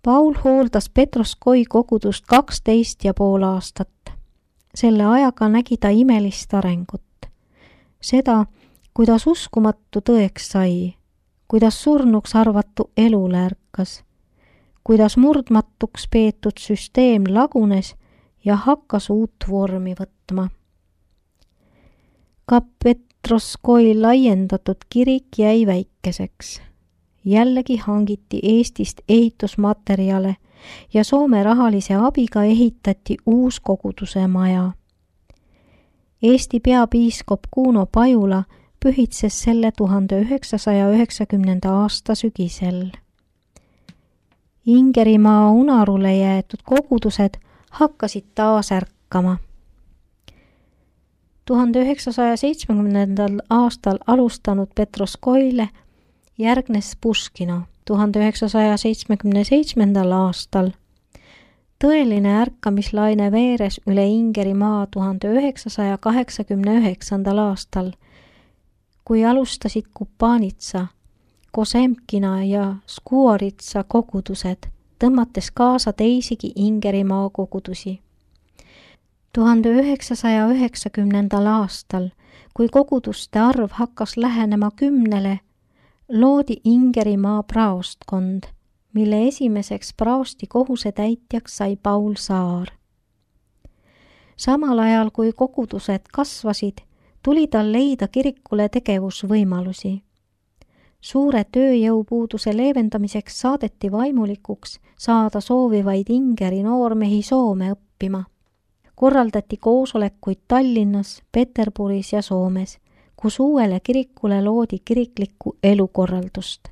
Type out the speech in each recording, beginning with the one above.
Paul hooldas Petroskoi kogudust 12,5 aastat. Selle ajaga nägi ta imelist arengut. Seda, kuidas uskumatu tõeks sai, kuidas surnuks arvatu elule ärkas, kuidas murdmatuks peetud süsteem lagunes ja hakkas uut vormi võtma. Ka Petroskoi laiendatud kirik jäi väikeseks. Jällegi hangiti Eestist ehitusmaterjale ja Soome rahalise abiga ehitati uus koguduse maja. Eesti peapiiskop Kuno Pajula pühitses selle 1990. aasta sügisel. Ingerimaa unarule jäetud kogudused hakkasid taas ärkama. 1970. aastal alustanud Petroskoile järgnes Puškino 1977. aastal. Tõeline ärkamislaine veeres üle Ingerimaa 1989. aastal, kui alustasid Kupanitsa, Kosemkina ja Skuoritsa kogudused, tõmmates kaasa teisigi Ingerimaa kogudusi. 1990. aastal, kui koguduste arv hakkas lähenema 10, loodi Ingerimaa praostkond, mille esimeseks praosti kohusetäitjaks sai Paul Saar. Samal ajal, kui kogudused kasvasid, tuli tal leida kirikule tegevusvõimalusi. Suure tööjõupuuduse leevendamiseks saadeti vaimulikuks saada soovivaid Ingeri noormehi Soome õppima. Korraldati koosolekuid Tallinnas, Peterburis ja Soomes, kus uuele kirikule loodi kiriklikku elukorraldust.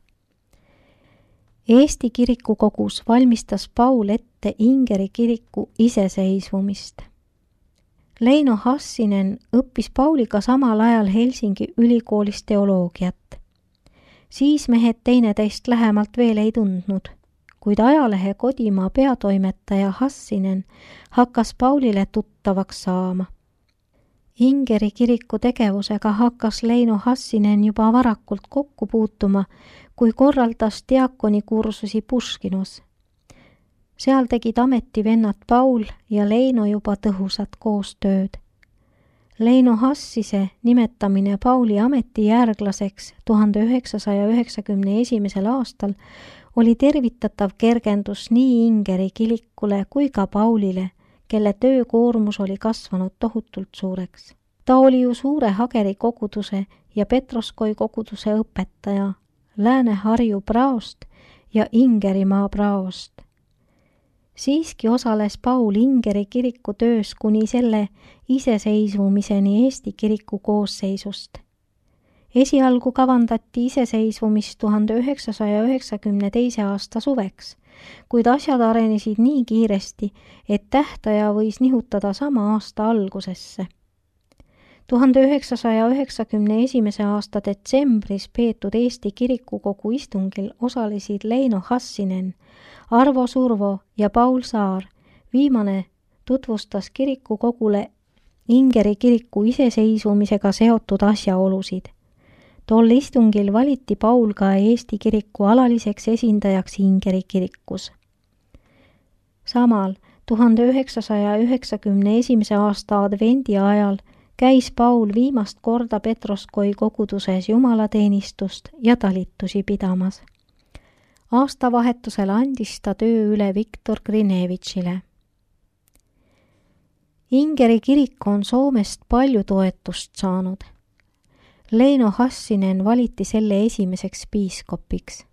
Eesti kirikukogus valmistas Paul ette Ingeri kiriku iseseisvumist. Leino Hassinen õppis Pauliga samal ajal Helsingi ülikoolis teoloogiat. Siis mehed teineteist lähemalt veel ei tundnud, kuid ajalehe Kodimaa peatoimetaja Hassinen hakkas Paulile tuttavaks saama. Ingeri kiriku tegevusega hakkas Leino Hassinen juba varakult kokku puutuma, kui korraldas diakonikursusi Puškinos. Seal tegid ametivennad Paul ja Leino juba tõhusat koostööd. Leino Hassise nimetamine Pauli ametijärglaseks 1991. aastal oli tervitatav kergendus nii Ingeri kirikule kui ka Paulile, kelle töökoormus oli kasvanud tohutult suureks. Ta oli ju Suure Hageri koguduse ja Petroskoi koguduse õpetaja, Lääne-Harju praost ja Ingerimaa praost. Siiski osales Paul Ingeri kiriku töös kuni selle iseseisvumiseni Eesti kiriku koosseisust. Esialgu kavandati iseseisvumist 1992. aasta suveks, kuid asjad arenesid nii kiiresti, et tähtaja võis nihutada sama aasta algusesse. 1991. aasta detsembris peetud Eesti kirikukogu istungil osalesid Leino Hassinen, Arvo Survo ja Paul Saar. Viimane tutvustas kirikukogule Ingeri kiriku iseseisvumisega seotud asjaolusid. Tol istungil valiti Paul ka Eesti kiriku alaliseks esindajaks Ingeri kirikus. Samal 1991. aasta advendi ajal käis Paul viimast korda Petroskoi koguduses jumalateenistust ja talitusi pidamas. Aastavahetusel andis ta töö üle Viktor Grinevitšile. Ingeri kirik on Soomest palju toetust saanud. Leino Hassinen valiti selle esimeseks piiskopiks.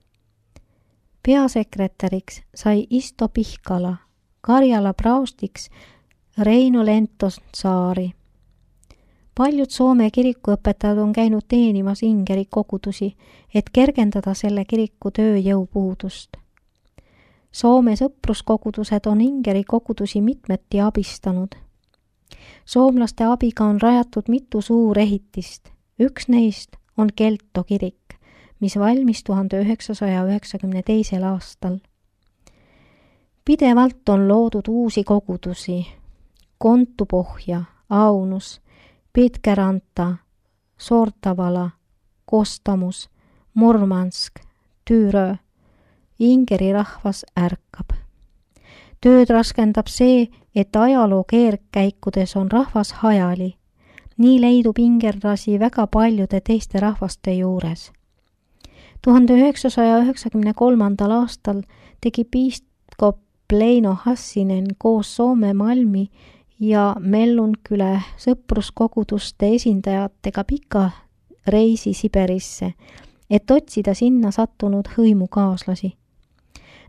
Peasekretäriks sai Isto Pihkala, Karjala praostiks Reino Lentosaari. Paljud Soome kirikuõpetajad on käinud teenimas Ingeri kogudusi, et kergendada selle kiriku tööjõupuudust. Soome sõpruskogudused on Ingeri kogudusi mitmeti abistanud. Soomlaste abiga on rajatud mitu suurehitist. Üks neist on Kelto kirik, mis valmis 1992. aastal. Pidevalt on loodud uusi kogudusi. Kontupohja, Aunus, Pitkeranta, Sortavala, Kostamus, Murmansk, Tyyrö Ingeri rahvas ärkab. Tööd raskendab see, et ajaloo keerdkäikudes on rahvas hajali. Nii leidub ingerlasi väga paljude teiste rahvaste juures. 1993. aastal tegi piiskop Leino Hassinen koos Soome Malmi ja Mellunküle sõpruskoguduste esindajatega pika reisi Siberisse, et otsida sinna sattunud hõimukaaslasi.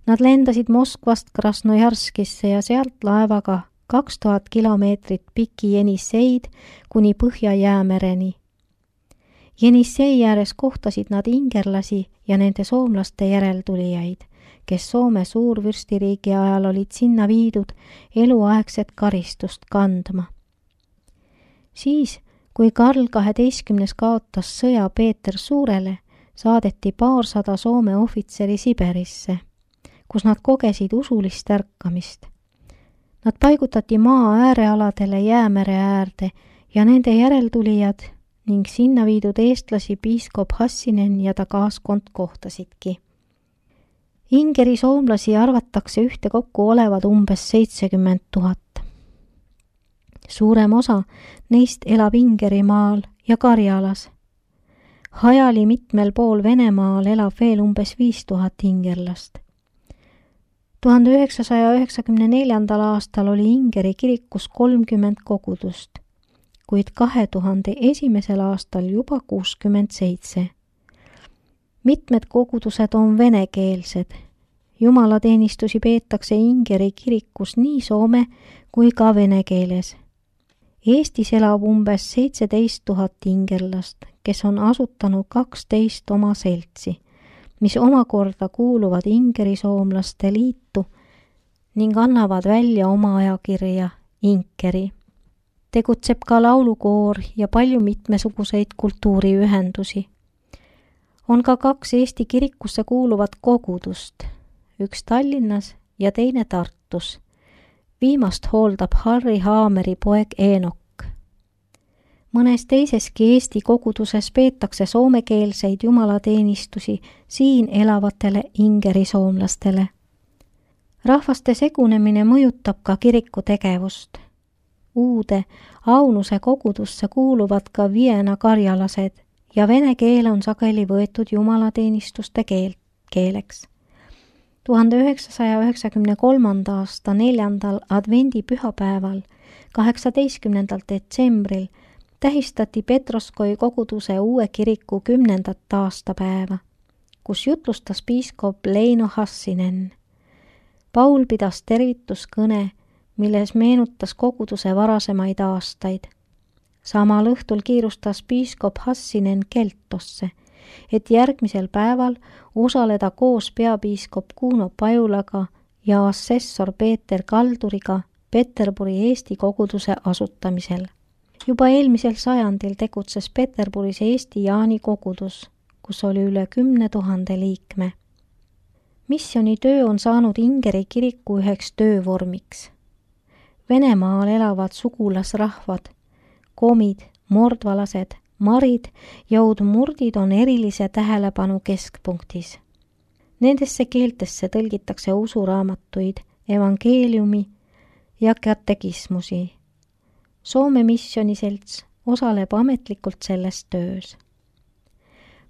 Nad lendasid Moskvast Krasnojarskisse ja sealt laevaga 2000 kilomeetrit pikki Jenisseid kuni Põhja-Jäämereni. Jenissei ääres kohtasid nad ingerlasi ja nende soomlaste järeltulijaid, kes Soome suurvürstiriigi ajal olid sinna viidud eluaegset karistust kandma. Siis, kui Karl 12. kaotas sõja Peeter Suurele, saadeti 200 Soome ohvitseri Siberisse, kus nad kogesid usulist ärkamist. Nad paigutati maa äärealadele Jäämere äärde ja nende järeltulijad ning sinna viidud eestlasi piiskop Hassinen ja ta kaaskond kohtasidki. Ingeri soomlasi arvatakse ühtekokku olevat umbes 70 000. Suurem osa neist elab Ingerimaal ja Karjalas. Hajali mitmel pool Venemaal elab veel umbes 5000 ingerlast. 1994. aastal oli Ingeri kirikus 30 kogudust, kuid 2001. aastal juba 67. Mitmed kogudused on venekeelsed. Jumalateenistusi peetakse Ingeri kirikus nii soome kui ka vene keeles. Eestis elab umbes 17 000 ingerlast, kes on asutanud 12 oma seltsi, mis omakorda kuuluvad Ingeri soomlaste liitu ning annavad välja oma ajakirja Inkeri. Tegutseb ka laulukoor ja palju mitmesuguseid kultuuriühendusi. On ka 2 Eesti kirikusse kuuluvat kogudust, üks Tallinnas ja teine Tartus. Viimast hooldab Harri Haameri poeg Eenok. Mõnes teiseski Eesti koguduses peetakse soomekeelseid jumalateenistusi siin elavatele Ingeri soomlastele. Rahvaste segunemine mõjutab ka kiriku tegevust. Uude Aunuse kogudusse kuuluvad ka Viena karjalased ja vene keel on sageli võetud jumalateenistuste keeleks. 1993. aasta 4. advendipühapäeval, 18. detsembril, tähistati Petroskoi koguduse uue kiriku 10. aastapäeva, kus jutlustas piiskop Leino Hassinen. Paul pidas tervituskõne, milles meenutas koguduse varasemaid aastaid. Samal õhtul kiirustas piiskop Hassinen Keltosse, et järgmisel päeval osaleda koos peapiiskop Kuno Pajulaga ja assessor Peeter Kalduriga Peterburi Eesti koguduse asutamisel. Juba eelmisel sajandil tegutses Peterburis Eesti Jaani kogudus, kus oli üle 10 000 liikme. Missionitöö on saanud Ingeri kiriku üheks töövormiks. Venemaal elavad sugulasrahvad, komid, mordvalased, marid ja udmurdid on erilise tähelepanu keskpunktis. Nendesse keeltesse tõlgitakse usuraamatuid, evangeeliumi ja katekismusi. Soome missioniselts osaleb ametlikult selles töös.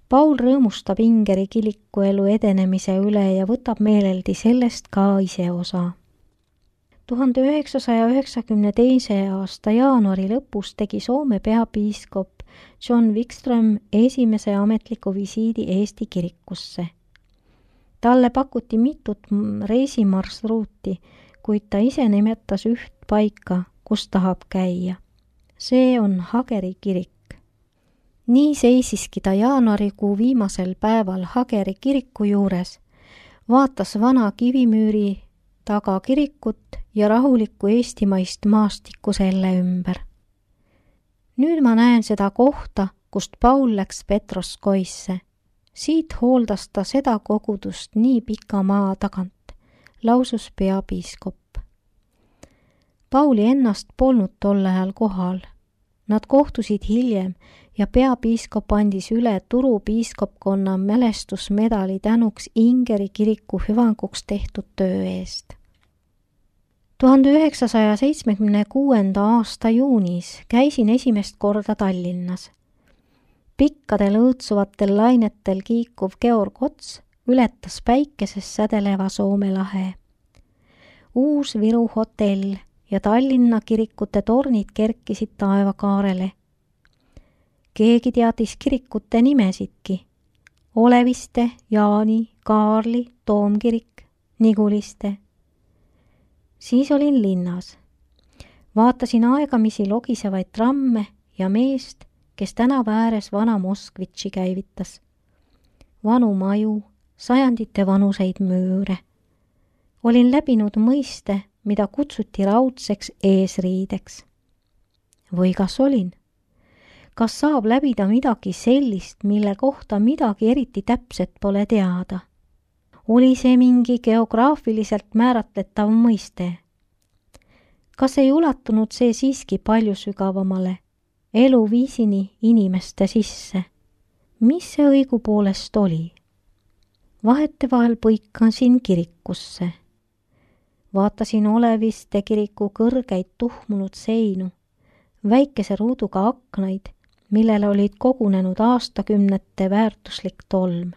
Paul rõõmustab Ingeri kirikuelu edenemise üle ja võtab meeleldi sellest ka ise osa. 1992. aasta jaanuari lõpus tegi Soome peapiiskop John Wikström esimese ametliku visiidi Eesti kirikusse. Talle pakuti mitut reisimarsruuti, kuid ta ise nimetas üht paika, kus tahab käia. See on Hageri kirik. Nii seisiski ta jaanuarikuu viimasel päeval Hageri kiriku juures, vaatas vana kivimüüri taga kirikut ja rahulikku eestimaist maastikku selle ümber. Nüüd ma näen seda kohta, kust Paul läks Petroskoisse. Siit hooldas ta seda kogudust nii pika maa tagant, lausus peapiiskop. Pauli ennast polnud tol ajal kohal. Nad kohtusid hiljem ja peapiiskop andis üle Turu piiskopkonna mälestusmedali tänuks Ingeri kiriku hüvanguks tehtud töö eest. 1976. aasta juunis käisin esimest korda Tallinnas. Pikkadel õõtsuvatel lainetel kiikuv Georg Ots ületas päikeses sädeleva Soome lahe. Uus Viru hotell ja Tallinna kirikute tornid kerkisid taevakaarele. Keegi teadis kirikute nimesidki. Oleviste, Jaani, Kaarli, Toomkirik, Niguliste. Siis olin linnas. Vaatasin aegamisi logisevaid tramme ja meest, kes tänava ääres vana Moskvitši käivitas. Vanu maju, sajandite vanuseid müüre. Olin läbinud mõiste, mida kutsuti raudseks eesriideks. Või kas olin? Kas saab läbida midagi sellist, mille kohta midagi eriti täpset pole teada? Oli see mingi geograafiliselt määratletav mõiste? Kas ei ulatunud see siiski palju sügavamale, eluviisini inimeste sisse? Mis see õigupoolest oli? Vahetevahel põikasin kirikusse. Vaatasin Oleviste kiriku kõrgeid tuhmunud seinu, väikese ruuduga aknaid, millele olid kogunenud aastakümnete väärtuslik tolm.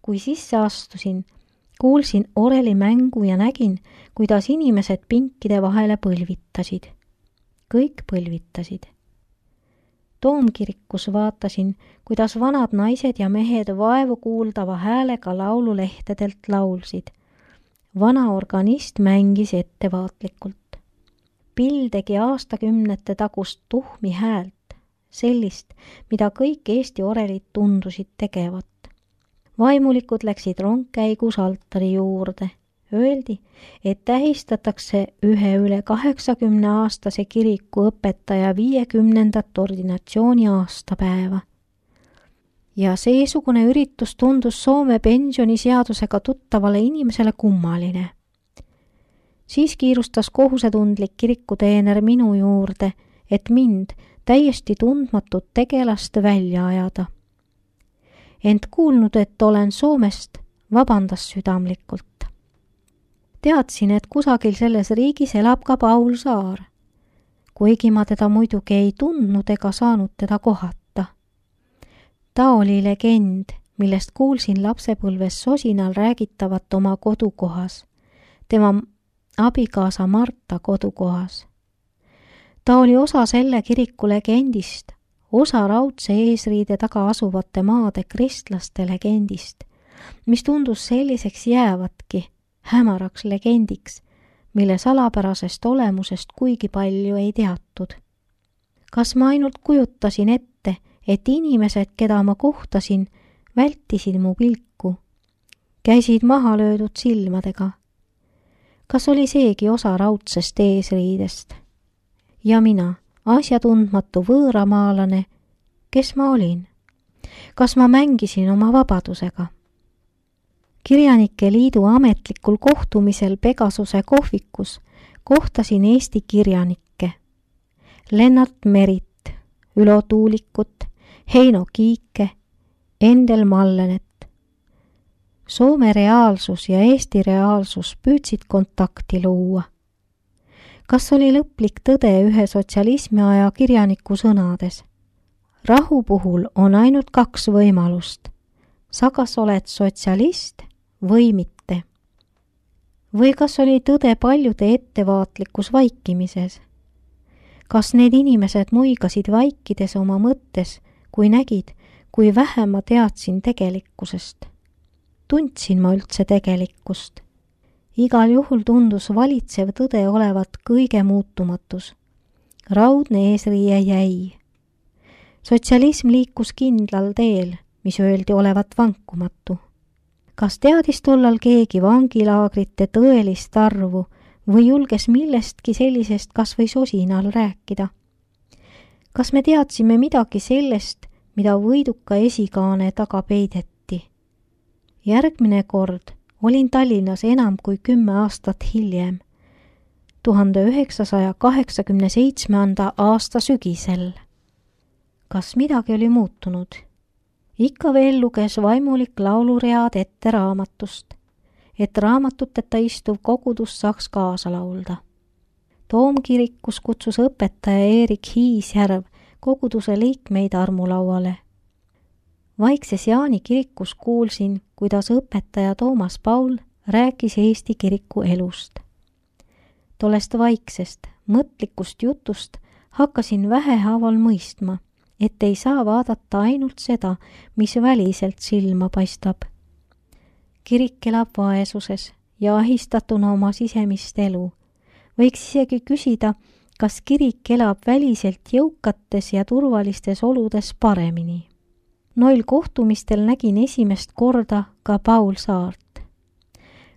Kui sisse astusin, kuulsin orelimängu ja nägin, kuidas inimesed pinkide vahele põlvitasid. Kõik põlvitasid. Toomkirikus vaatasin, kuidas vanad naised ja mehed vaevu kuuldava häälega laululehtedelt laulsid. Vana organist mängis ettevaatlikult. Pill tegi aastakümnete tagust tuhmi häält, sellist, mida kõik Eesti orelid tundusid tegevat. Vaimulikud läksid rongkäigus altari juurde. Öeldi, et tähistatakse ühe üle 80-aastase kiriku õpetaja 50. ordinatsiooni aastapäeva. Ja seesugune üritus tundus Soome pensioniseadusega tuttavale inimesele kummaline. Siis kiirustas kohusetundlik kirikuteener minu juurde, et mind, täiesti tundmatut tegelast, välja ajada. Ent kuulnud, et olen Soomest, vabandas südamlikult. Teadsin, et kusagil selles riigis elab ka Paul Saar, kuigi ma teda muidugi ei tundnud ega saanud teda kohata. Ta oli legend, millest kuulsin lapsepõlves sosinal räägitavat oma kodukohas, tema abikaasa Marta kodukohas. Ta oli osa selle kiriku legendist, osa raudse eesriide taga asuvate maade kristlaste legendist, mis tundus selliseks jäävatki, hämaraks legendiks, mille salapärasest olemusest kuigi palju ei teatud. Kas ma ainult kujutasin ette, et inimesed, keda ma kohtasin, vältisid mu pilku, käisid maha löödud silmadega? Kas oli seegi osa raudsest eesriidest? Ja mina, asjatundmatu võõramaalane, kes ma olin? Kas ma mängisin oma vabadusega? Kirjanike liidu ametlikul kohtumisel Pegasuse kohvikus kohtasin Eesti kirjanikke. Lennart Merit, Ülo Tuulikut, Heino Kiike, Endel Mallenet. Soome reaalsus ja Eesti reaalsus püüdsid kontakti luua. Kas oli lõplik tõde ühe sotsialismi aja kirjaniku sõnades? Rahu puhul on ainult 2 võimalust. Sa kas oled sotsialist või mitte? Või kas oli tõde paljude ettevaatlikus vaikimises? Kas need inimesed muigasid vaikides oma mõttes, kui nägid, kui vähe ma teadsin tegelikkusest? Tundsin ma üldse tegelikkust? Igal juhul tundus valitsev tõde olevat kõige muutumatus. Raudne eesriie jäi. Sotsialism liikus kindlal teel, mis öeldi olevat vankumatu. Kas teadis tollal keegi vangilaagrite tõelist arvu või julges millestki sellisest kas või sosinal rääkida? Kas me teadsime midagi sellest, mida võiduka esikaane taga peideti? Järgmine kord olin Tallinnas enam kui 10 aastat hiljem, 1987. aasta sügisel. kas midagi oli muutunud. Ikka veel luges vaimulik lauluread ette raamatust, et raamatuteta istuv kogudus saaks kaasa laulda. Toomkirikus kutsus õpetaja Erik Hiisjärv koguduse liikmeid armulauale. Vaikses Jaani kirikus kuulsin, kuidas õpetaja Toomas Paul rääkis Eesti kiriku elust. Tollest vaiksest, mõtlikust jutust hakkasin vähehaaval mõistma, et ei saa vaadata ainult seda, mis väliselt silma paistab. Kirik elab vaesuses ja ahistatuna oma sisemist elu. Võiks isegi küsida, kas kirik elab väliselt jõukates ja turvalistes oludes paremini. Noil kohtumistel nägin esimest korda ka Paul Saart.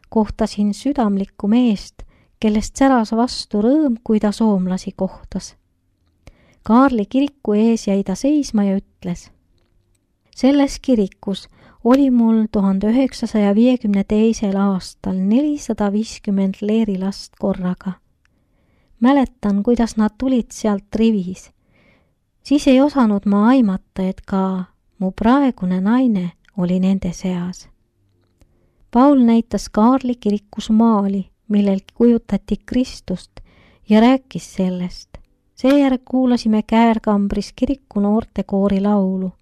Kohtasin südamlikku meest, kellest säras vastu rõõm, kui ta soomlasi kohtas. Kaarli kiriku ees jäi ta seisma ja ütles: selles kirikus oli mul 1952. aastal 450 leerilast korraga. Mäletan, kuidas nad tulid sealt rivis. Siis ei osanud ma aimata, et ka mu praegune naine oli nende seas. Paul näitas Kaarli kirikus maali, millel kujutati Kristust ja rääkis sellest. Seejärel kuulasime Käärkambris kiriku noortekoori laulu.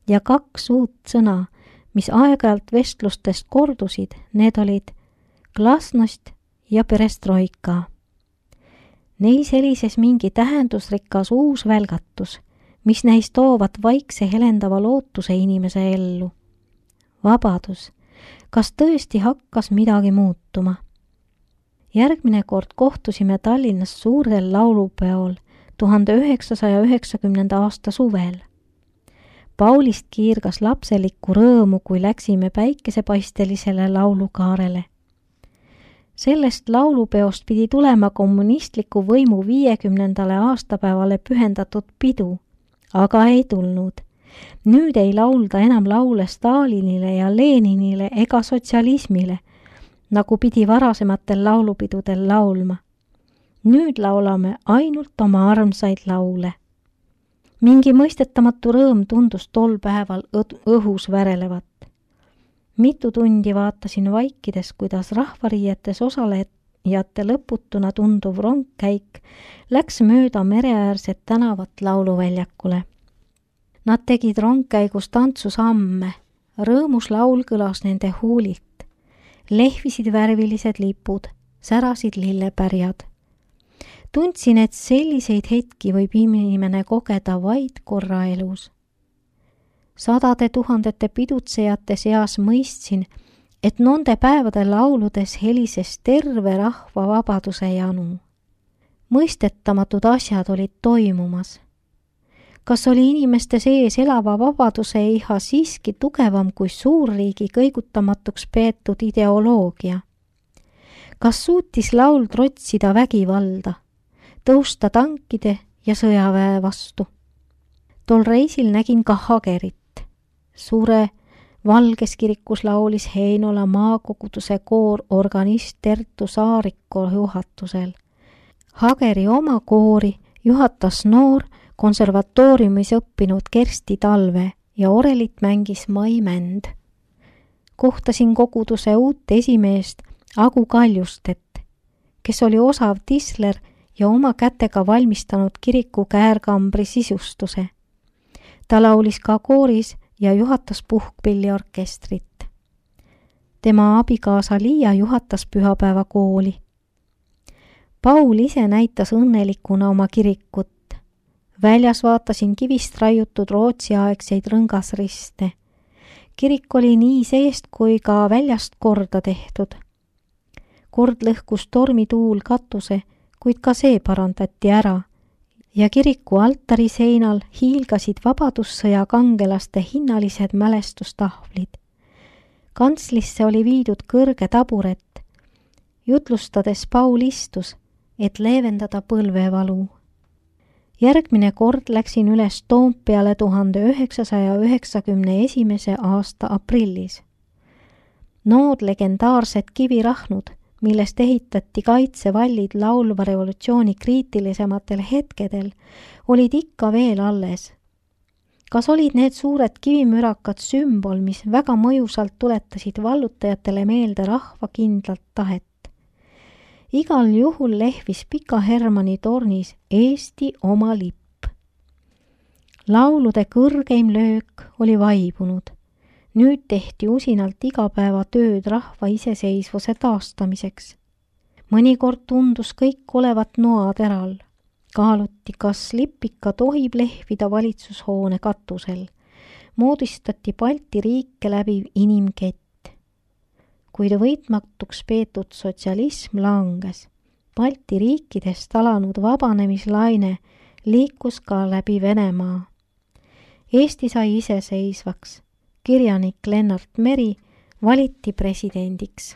Ja 2 uut sõna, mis aeg-ajalt vestlustest kordusid, need olid glasnost ja perestroika. Neis helises mingi tähendusrikas uus välgatus, mis näis toovat vaikse helendava lootuse inimese ellu. Vabadus. Kas tõesti hakkas midagi muutuma? Järgmine kord kohtusime Tallinnas suurel laulupeol 1990. aasta suvel. Paulist kiirgas lapselikku rõõmu, kui läksime päikesepaistelisele laulukaarele. Sellest laulupeost pidi tulema kommunistliku võimu 50. aastapäevale pühendatud pidu, aga ei tulnud. Nüüd ei laulda enam laule Stalinile ja Leninile ega sotsialismile, nagu pidi varasematel laulupidudel laulma. Nüüd laulame ainult oma armsaid laule. Mingi mõistetamatu rõõm tundus tol päeval õhus värelevat. Mitu tundi vaatasin vaikides, kuidas rahvariietes osalejate lõputuna tunduv rongkäik läks mööda mereäärset tänavat lauluväljakule. Nad tegid rongkäigus tantsusamme, rõõmus laul kõlas nende huulilt. Lehvisid värvilised lipud, särasid lillepärjad. Tundsin, et selliseid hetki võib inimene kogeda vaid korra elus. 100 000 pidutsejate seas mõistsin, et nende päevade lauludes helises terve rahva vabaduse janu. Mõistetamatud asjad olid toimumas. Kas oli inimeste sees elava vabaduse iha siiski tugevam kui suurriigi kõigutamatuks peetud ideoloogia? Kas suutis laul trotsida vägivalda, tõusta tankide ja sõjaväe vastu? Tol reisil nägin ka Hagerit. Suure Valges kirikus laulis Heinola maakoguduse koor organist Tertu Saariko juhatusel. Hageri oma koori juhatas noor konservatooriumis õppinud Kersti Talve ja orelit mängis Mai Mänd. Kohtasin koguduse uut esimeest Agu Kaljustet, kes oli osav tisler ja oma kätega valmistanud kiriku Käärkambri sisustuse. Ta laulis ka kooris ja juhatas puhkpilliorkestrit. Tema abikaasa Liia juhatas pühapäevakooli. Paul ise näitas õnnelikuna oma kirikut. Väljas vaatasin kivist raiutud Rootsi-aegseid rõngasriste. Kirik oli nii seest kui ka väljast korda tehtud. Kord lõhkus tormituul katuse, kuid ka see parandati ära ja kiriku altari seinal hiilgasid vabadussõja kangelaste hinnalised mälestustahvlid. Kantslisse oli viidud kõrge taburet. Jutlustades Paul istus, et leevendada põlvevalu. Järgmine kord läksin üles Toompeale 1991. aasta aprillis. Nood legendaarsed kivirahnud, millest ehitati kaitsevallid laulva revolutsiooni kriitilisematel hetkedel, olid ikka veel alles Kas olid need suured kivimürakad sümbol, mis väga mõjusalt tuletasid vallutajatele meelde rahva kindlat tahet? Igal juhul lehvis Pika Hermanni tornis Eesti oma lipp. Laulude kõrgeim löök oli vaibunud. Nüüd tehti usinalt igapäevatööd rahva iseseisvuse taastamiseks. Mõnikord tundus kõik olevat noateral. Kaaluti, kas lipp ikka tohib lehvida valitsushoone katusel. Moodistati Balti riike läbiv inimkett. Kuid võitmatuks peetud sotsialism langes. Balti riikidest alanud vabanemislaine liikus ka läbi Venemaa. Eesti sai iseseisvaks. Kirjanik Lennart Meri valiti presidendiks.